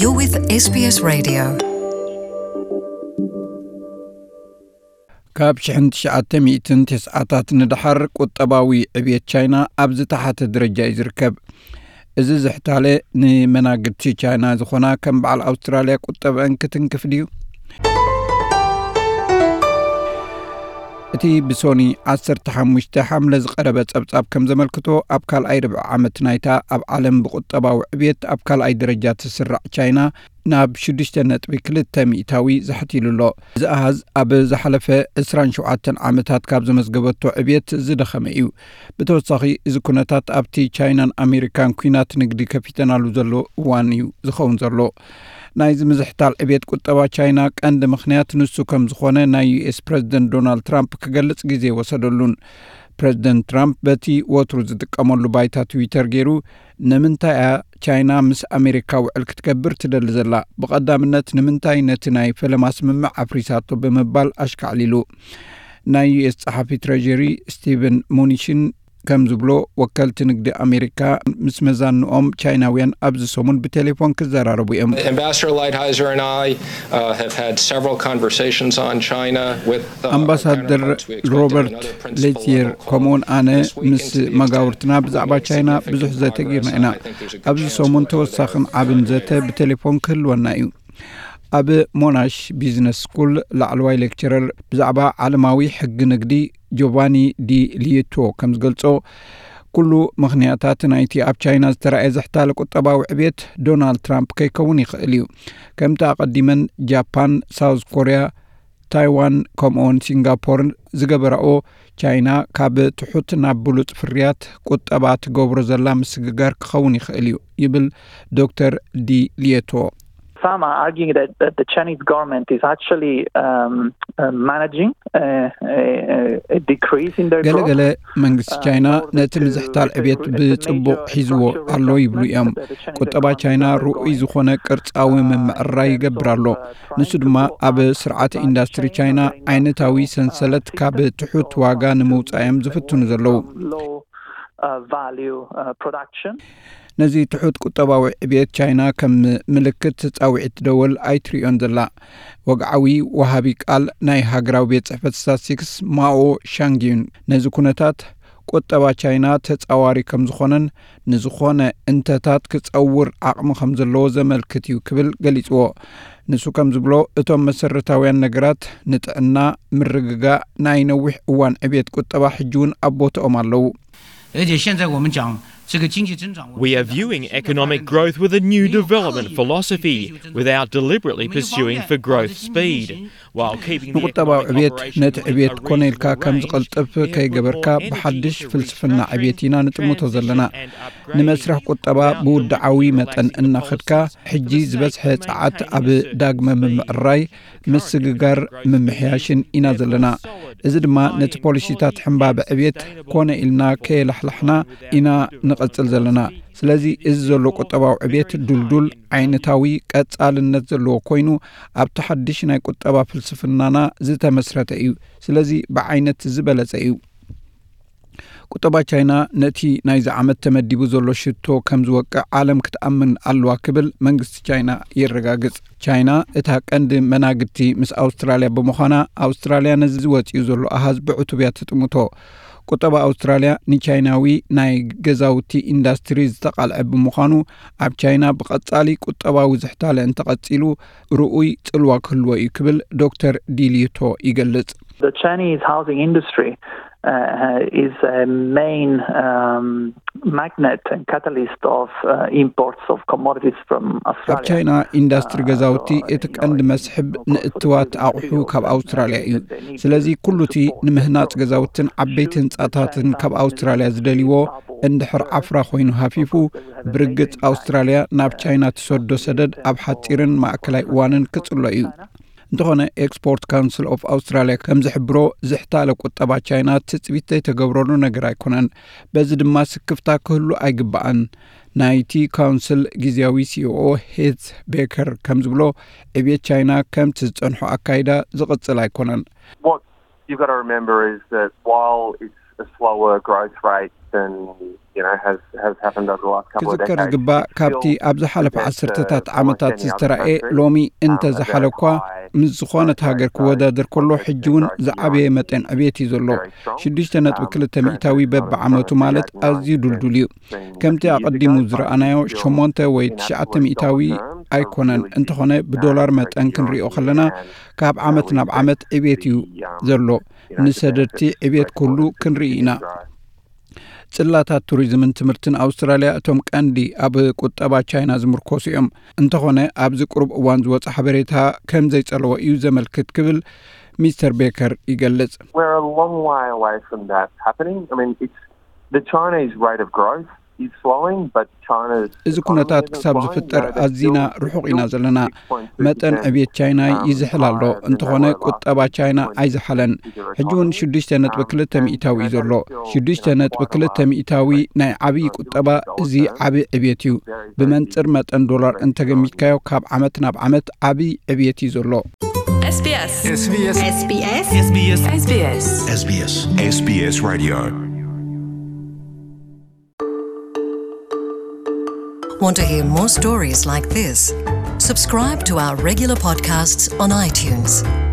You're with S B S Radio. ካብ ሽሕን ትሽዓተ ሚእትን ተስዓታት ንደሓር ቁጠባዊ ዕብየት ቻይና ኣብ ዝተሓተ ደረጃ እዩ ዝርከብ። እዚ ዝሕታለ ንመናግድቲ ቻይና ዝኾና ከም በዓል ኣውስትራልያ ቁጠበአን ክትንክፍ ድዩ? እቲ ብሶኒ ዓሰርተ ሓሙሽተ ሓምለ ዝቐረበ ጸብጻብ ከም ዘመልክቶ፣ ኣብ ካልኣይ ርብዒ ዓመት ናይታ ኣብ ዓለም ብቁጠባዊ ዕብየት ኣብ ካልኣይ ደረጃ ትስራዕ ቻይና ናብ ሽዱሽተ ነጥቢ ክልተ ሚእታዊ ዛሕቲሉ ኣሎ። እዚ ኣሃዝ ኣብ ዝሓለፈ ዕስራን ሸውዓተን ዓመታት ካብ ዘመዝገበቶ ዕብየት ዝደኸመ እዩ። ብተወሳኺ፣ እዚ ኩነታት ኣብቲ ቻይናን ኣሜሪካን ኲናት ንግዲ ከፊተናሉ ዘሎ እዋን እዩ ዝኸውን ዘሎ። ናይዚ ምዝሕታል ዕብየት ቁጠባ ቻይና ቀንዲ ምኽንያት ንሱ ከም ዝኾነ ናይ ዩ ኤስ ፕረዚደንት ዶናልድ ትራምፕ ክገልጽ ግዜ ወሰደሉን። ፕረዚደንት ትራምፕ በቲ ወትሩ ዝጥቀመሉ ባይታ ትዊተር ገይሩ፣ ንምንታይ እያ ቻይና ምስ ኣሜሪካ ውዕል ክትገብር ትደሊ ዘላ? ብቐዳምነት ንምንታይ ነቲ ናይ ፈለማ ስምምዕ ኣፍሪሳቶ? ብምባል ኣሽካዕሊሉ። ናይ ዩ ኤስ ጸሓፊ ትሬጀሪ ስቲቨን ሙኒሽን ከም ዝብሎ፣ ወከልቲ ንግዲ ኣሜሪካ ምስ መዛንኦም ቻይናውያን ኣብዚ ሰሙን ብቴሌፎን ክዘራረቡ እዮም። Ambassador Lighthizer and I uh, have had several conversations on China with uh, our ኣምባሳደር counterparts. We expect to have ሮበርት another principal ሌቲየር level call ከምኡውን ኣነ this week ምስ into the መጋውርትና ብዛዕባ ቻይና ብዙሕ ዘተ ጌርና ኢና። ኣብዚ ሰሙን ተወሳኽን ዓብን ዘተ ብቴሌፎን ክህልወና እዩ። ኣብ ሞናሽ ቢዝነስ ስኩል ላዕለዋይ ሌክቸረር ብዛዕባ ዓለማዊ ሕጊ ንግዲ ጆቫኒ ዲ ሊየቶ ከም ዝገልጾ፣ ኩሉ ምኽንያታት ናይቲ ኣብ ቻይና ዝተራእየ ዝሕታለ ቁጠባዊ ዕብየት ዶናልድ ትራምፕ ከይከውን ይኽእል እዩ። ከምቲ ኣቐዲመን ጃፓን፣ ሳውዝ ኮርያ፣ ታይዋን ከምኡውን ሲንጋፖር ዝገበራኦ፣ ቻይና ካብ ትሑት ናብ ብሉጽ ፍርያት ቁጠባ ትገብሮ ዘላ ምስግጋር ክኸውን ይኽእል እዩ፣ ይብል ዶክተር ዲ ሊየቶ። Some are arguing that, that the Chinese government is actually um, uh, managing uh, a, a decrease in their growth. ገለገለ መንግስቲ ቻይና ነቲ ምዝሕታል ዕብየት ብጽቡቕ ሒዝዎ ኣሎ ይብሉ እዮም። ቁጠባ ቻይና ርኡይ ዝኾነ ቅርጻዊ ምምዕራይ ይገብር ኣሎ። ንሱ ድማ ኣብ ስርዓተ ኢንዳስትሪ ቻይና ዓይነታዊ ሰንሰለት ካብ ትሑት ዋጋ ንምውጻእ እዮም ዝፍትኑ ዘለዉ። Low uh, value uh, production. ነዚ ትሑት ቁጠባዊ ዕብየት ቻይና ከም ምልክት ጻውዒት ደወል ኣይትርእዮን ዘላ። ወግዓዊ ወሃቢ ቃል ናይ ሃገራዊ ቤት ጽሕፈት ስታትስቲክስ ማኦ ሻንግዩን ነዚ ኩነታት ቁጠባ ቻይና ተጻዋሪ ከም ዝኾነን ንዝኾነ እንተታት ክጸውር ዓቕሚ ከም ዘለዎ ዘመልክት እዩ ክብል ገሊጽዎ። ንሱ ከም ዝብሎ፣ እቶም መሰረታውያን ነገራት ንጥዕና፣ ምርግጋእ፣ ናይ ነዊሕ እዋን ዕብየት ቁጠባ ሕጂ እውን ኣብ ቦታኦም ኣለዉ። 而且现在我们讲这个经济增长，我们 We are viewing economic growth with a new development philosophy without deliberately pursuing for growth speed, while keeping the ንቁጠባዊ economic ዕብየት operation ነቲ within ዕብየት a ኮነ ኢልካ reasonable ከም range. ዝቐልጥፍ Therefore, ከይገበርካ energy ብሓድሽ efficient ፍልስፍና restructuring ዕብየት ኢና ንጥምቶ ዘለና። ንመስርሕ ቁጠባ ብውድዓዊ መጠን እናኸድካ፣ ሕጂ ዝበዝሐ ጸዓት ኣብ ዳግመ ምምዕራይ፣ ምስግጋር፣ ምምሕያሽን ኢና ዘለና። እዚ ድማ ነቲ ፖሊሲታት ሕምባበ ዕብየት ኮነ ኢልና ከየላሕላሕና ኢና ንቐጽል ዘለና። ስለዚ እዚ ዘሎ ቁጠባዊ ዕብየት ዱልዱል፣ ዓይነታዊ፣ ቀጻልነት ዘለዎ ኮይኑ፣ ኣብቲ ሓድሽ ናይ ቁጠባ ፍልስፍናና ዝተመስረተ እዩ። ስለዚ ብዓይነት ዝበለጸ እዩ። ቁጠባ ቻይና ነቲ ናይዚ ዓመት ተመዲቡ ዘሎ ሽቶ ከም ዝወቅዕ ዓለም ክትኣምን ኣለዋ ክብል መንግስቲ ቻይና የረጋግጽ። ቻይና እታ ቀንዲ መናግድቲ ምስ ኣውስትራልያ ብምዃና፣ ኣውስትራልያ ነዚ ወጺኡ ዘሎ ኣሃዝ ብዕቱብ እያ ትጥምቶ። ቁጠባ ኣውስትራልያ ንቻይናዊ ናይ ገዛውቲ ኢንዳስትሪ ዝተቓልዐ ብምዃኑ፣ ኣብ ቻይና ብቐጻሊ ቁጠባዊ ዝሕታለ እንተቐጺሉ፣ ርኡይ ጽልዋ ክህልዎ እዩ ክብል ዶክተር ዲሊቶ ይገልጽ። The Chinese housing industry uh, is a main um, magnet and catalyst of uh, imports of commodities from ኣብ Australia. ቻይና ኢንዳስትሪ ገዛውቲ እቲ ቀንዲ መስሕብ ንእትዋት ኣቑሑ ካብ ኣውስትራልያ እዩ። ስለዚ ኩሉ እቲ ንምህናጽ ገዛውትን ዓበይቲ ህንጻታትን ካብ ኣውስትራልያ ዝደልይዎ እንድሕር ዓፍራ ኮይኑ ሃፊፉ፣ ብርግጽ ኣውስትራልያ ናብ ቻይና ትሰዶ ሰደድ ኣብ ሓጺርን ማእከላይ እዋንን ክጽሎ እዩ። እንተኾነ፣ ኤክስፖርት ካውንስል ኦፍ ኣውስትራልያ ከም ዝሕብሮ፣ ዝሕታለ ቁጠባ ቻይና ትጽቢት ዘይተገብረሉ ነገር ኣይኮነን። በዚ ድማ ስክፍታ ክህሉ ኣይግባእን። ናይቲ ካውንስል ግዝያዊ ሲኦኦ ሄዝ ቤከር ከም ዝብሎ፣ ዕብየት ቻይና ከምቲ ዝጸንሖ ኣካይዳ ዝቕጽል ኣይኮነን። What you've got to remember is that while it's a slower growth rate and you know has has happened over the last couple of ክዝከር decades. ዝግባእ ካብቲ ኣብ ዝሓለፈ ዓሰርተታት ዓመታት ዝተራእየ ሎሚ እንተ ዝሓለ እኳ ምስ ዝኾነት ሃገር ክወዳደር ከሎ ሕጂ እውን ዝዓበየ መጠን ዕብየት እዩ ዘሎ። ሽዱሽተ ነጥቢ ክልተ ሚእታዊ በብዓመቱ ማለት ኣዝዩ ድልዱል እዩ። ከምቲ ኣቐዲሙ ዝረኣናዮ ሸሞንተ ወይ ትሽዓተ ሚእታዊ ኣይኮነን። እንተኾነ ብዶላር መጠን ክንሪኦ ከለና ካብ ዓመት ናብ ዓመት ዕብየት እዩ ዘሎ። ንሰደድቲ ዕብየት ኩሉ ክንርኢ ኢና። ጽላታት ቱሪዝምን ትምህርትን ኣውስትራልያ እቶም ቀንዲ ኣብ ቁጠባ ቻይና ዝምርኮሱ እዮም። እንተኾነ ኣብዚ ቅሩብ እዋን ዝወፀ ሓበሬታ ከም ዘይጸለዎ እዩ ዘመልክት ክብል ሚስተር ቤከር ይገልጽ። We're a long way away from that happening. I mean, it's the Chinese rate of growth is slowing, but China's እዚ ኩነታት ክሳብ ዝፍጠር ኣዚና ርሑቕ ኢና ዘለና። መጠን ዕብየት ቻይና ይዝሕል ኣሎ። እንተኾነ ቁጠባ ቻይና ኣይዝሓለን። ሕጂ እውን ሽዱሽተ ነጥቢ ክልተ ሚእታዊ እዩ ዘሎ። ሽዱሽተ ነጥቢ ክልተ ሚእታዊ ናይ ዓብዪ ቁጠባ፣ እዚ ዓብዪ ዕብየት እዩ። ብመንፅር መጠን ዶላር እንተገሚትካዮ ካብ ዓመት ናብ ዓመት ዓብዪ ዕብየት እዩ ዘሎ። SBS. SBS. SBS. SBS. SBS Radio. Want to hear more stories like this? Subscribe to our regular podcasts on iTunes.